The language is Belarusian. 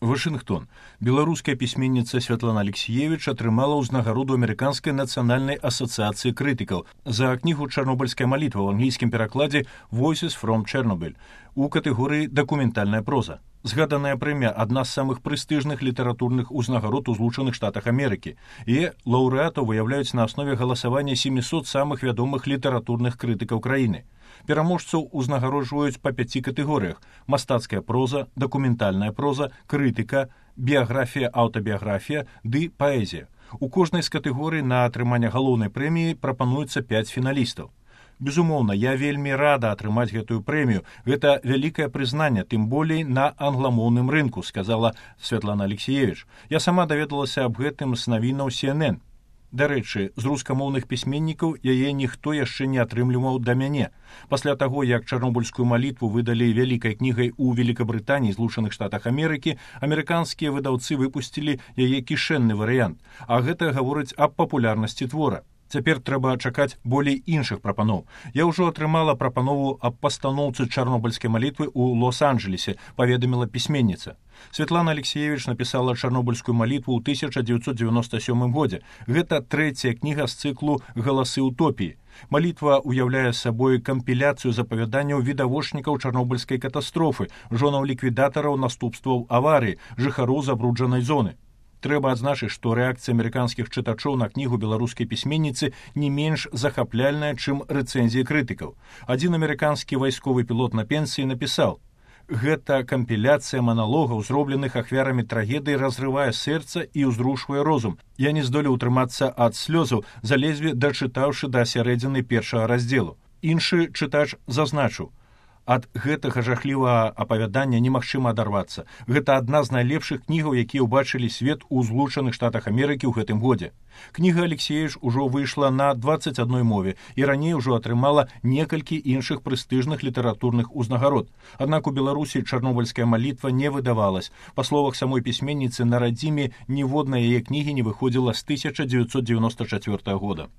Вашингтон. Беларуская пісьменніца Святлана Алексіевіч атрымала ўзнагароду Амерыканскай нацыянальнай асацыяцыі крытыкаў за кнігу «Чарнобыльская малітва» ў англійскім перакладзе «Voices from Chernobyl» у катэгорыі «Дакументальная проза». Згаданая прэмія – адна з самых прэстыжных літаратурных узнагарод у Злучаных Штатах Амерыкі. І лаўрэатаў выяўляюць на аснове галасавання 700 самых вядомых літаратурных крытыкаў краіны. Пераможцаў узнагароджваюць па 5 катэгорыях: мастацкая проза, дакументальная проза, крытыка, біяграфія, аўтабіяграфія ды паэзія. У кожнай з катэгорый на атрыманне галоўнай прэміі прапануецца 5 фіналістаў. Безумоўна, я вельмі рада атрымаць гэтую прэмію. Гэта вялікае прызнанне, тым болей на англамоўным рынку, сказала Святлана Алексіевіч. Я сама даведалася аб гэтым з навінаў CNN. Дарэчы, з рускамоўных пісьменнікаў яе ніхто яшчэ не атрымліваў да мяне. Пасля таго, як «Чарнобыльскую малітву» выдалі вялікай кнігай у Великабрытаніі і Злучаных Штатах Амерыкі, амерыканскія выдаўцы выпусцілі яе кішэнны варыянт, а гэта гаворыць аб папулярнасці твора. Цяпер трэба чакаць болей іншых прапаноў. Я ўжо атрымала прапанову аб пастаноўцы «Чарнобыльскай малітвы» ў Лос-Анджелесе, паведаміла пісьменніца. Святлана Алексіевіч напісала «Чарнобыльскую малітву» ў 1997 годзе. Гэта трэцяя кніга з цыклу «Галасы утопіі». Малітва ўяўляе сабой кампіляцыю запавяданняў відавочнікаў чарнобыльскай катастрофы, жонаў ліквідатараў наступстваў аварыі, жыхароў забруджанай зоны. Трэба адзначыць, што рэакцыя амерыканскіх чытачоў на кнігу беларускай пісьменніцы не менш захапляльная, чым рэцэнзіі крытыкаў. Адзін амерыканскі вайсковы пілот на пенсіі напісаў: «Гэта кампіляцыя маналогаў, зробленых ахвярамі трагедыі, разрывае сэрца і ўзрушвае розум. Я не здолеў утрымацца ад слёзаў, заледзьве дачытаўшы да сярэдзіны першага раздзелу». Іншы чытач зазначыў: «Ад гэтага жахлівага апавядання немагчыма адарвацца. Гэта адна з найлепшых кнігаў, якія ўбачылі свет у Злучаных Штатах Амерыкі ў гэтым годзе». Кніга Алексіевіч ужо выйшла на 21 мове і раней ужо атрымала некалькі іншых прэстыжных літаратурных узнагарод. Аднак у Беларусі «Чарнобыльская малітва» не выдавалась. Па словах самой пісьменніцы, на радзіме ніводнай яе кнігі не выходзіла з 1994 года.